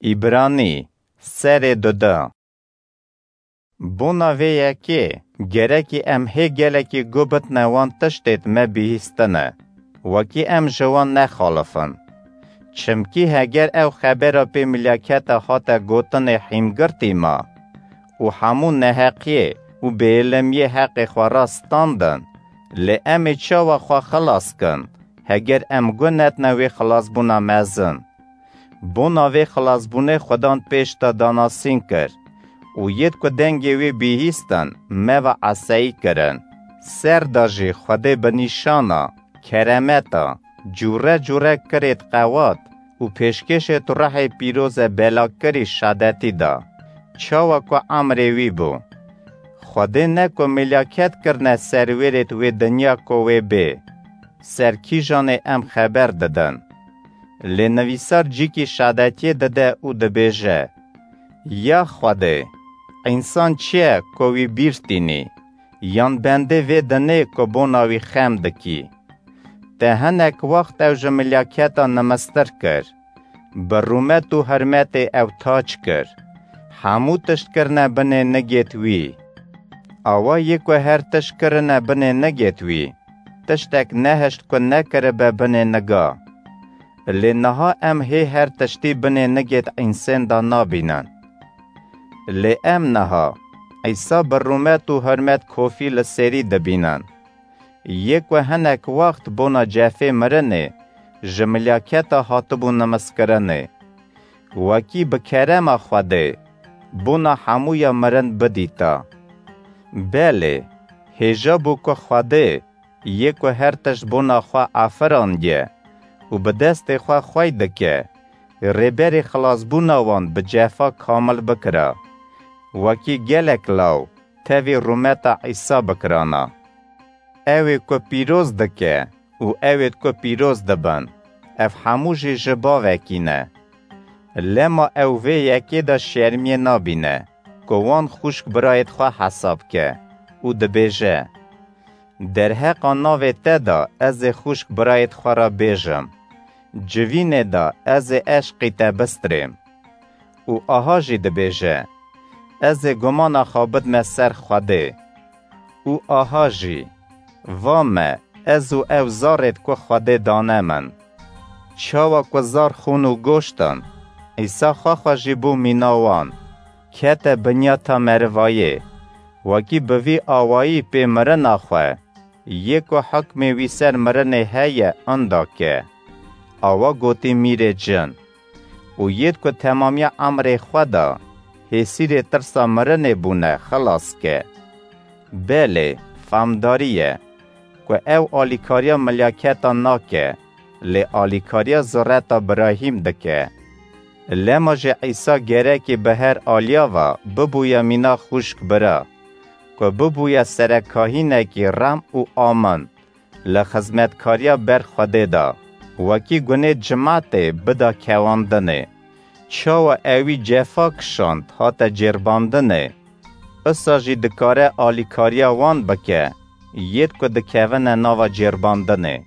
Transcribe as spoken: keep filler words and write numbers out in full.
Îbranî, serê duda. Bona vê yekê, gerekî em hê gelekî guh bidne wan tiştêd me bihîstine, wekî em ji wan nexalifin. Çimkî heger ew xebera pê milaketa hate gotinê hîmgirtî ma û hemû neheqiyê û bêilimiyê heqê xwe re standin, lê em ê çawa xwe xilas kin, heger em guh nedne wê xilasbûna mezin? Bona vê xilasbûnê Xudan pêş de danasîn kir û yêd ku dengê wê bihîstin, me ve eseyî kirin. Ser de jî Xwedê bi nîşana, keremeta, cûre cûre kirêd qewat û pêşkêşêd ruhê pîroze belakirî şadetî da. Çawa ku emrê wî bû. Xwedê ne ku milaket kirine serwêrêd wê dinya ku wê bê. Ser kîjanê em xeber didin. Lê nivîsar cîkî şadetiyê dide û dibêje, Ya Xwedê, însan çi ye ku wî bîr tînî, yan bendê vê dinê ku bona wî xem dikî? Te hinek wext ew ji milaketa nimistir kir, bi rûmet û hurmetê ew taç kir. Hemû tişt kirine binê nigêt wî. Awa yê ku her tişt kirine binê nigêt wî, tiştek nehişt ku nekiribe binê niga. Lê niha em hê her tiştî binê nigêt însên de nabînin. Lê em niha Îsa bi rûmet û hurmet kofî li sêrî dibînin. Yê ku hinek wext bona cefê mirinê ji milaketa hatibû nimiskirinê. Wekî bi kerema Xwedê bona hemûya mirin bidîta. Belê, hêja bû ku Xwedê, yê ku her tişt bona xwe afirandiye û bi destê xwe xwey dike, rêberê xilasbûna wan bi cefa kamil bikira. Wekî gelek law tevî rûmeta Îsa bikirana. Ew ê ku pîroz dike û ew êd ku pîroz dibin, ev hemû jî ji bavekî ne. Lema ew vê yekê de şermiyê nabîne, ku wan xwişk birayêd xwe hesab ke û dibêje, Derheqa navê te de ez ê xwişk birayêd xwe re bêjim, civînê de ez ê eşqî te bistirêm. Û aha jî dibêje, Ez ê gumana xwe bidme ser Xwedê. Û aha jî, va me, ez û ew zarêd ku Xwedê dane min. Çawa ku zar xûn û goşt in, Îsa xwe xwe jî bû mîna wan, kete binyata merivayê, wekî bi vî awayî pê mirina xwe, yê ku hukmê wî ser mirinê heye, inda ke. Awa gotî mîrê cin. Û yêd ku temamiya emrê xwe de hêsîrê tirsa mirinê bûne, xilas ke. Belê, famdarî ye, ku ew alîkariya milyaketa nake, lê alîkariya zureta Birahîm dike. Lema jî Îsa gerekê bi her aliya ve bibûye mîna xwişk bira, ku bibûye serekahînekî rem û amin li xizmetkariya ber Xwedê de, wekî gunê cimatê bida kewandinê. Çawa ewî cefa kişand hate cêrbandinê, isa jî dikare alîkariya wan bike, yêd ku dikevine nava cêrbandinê.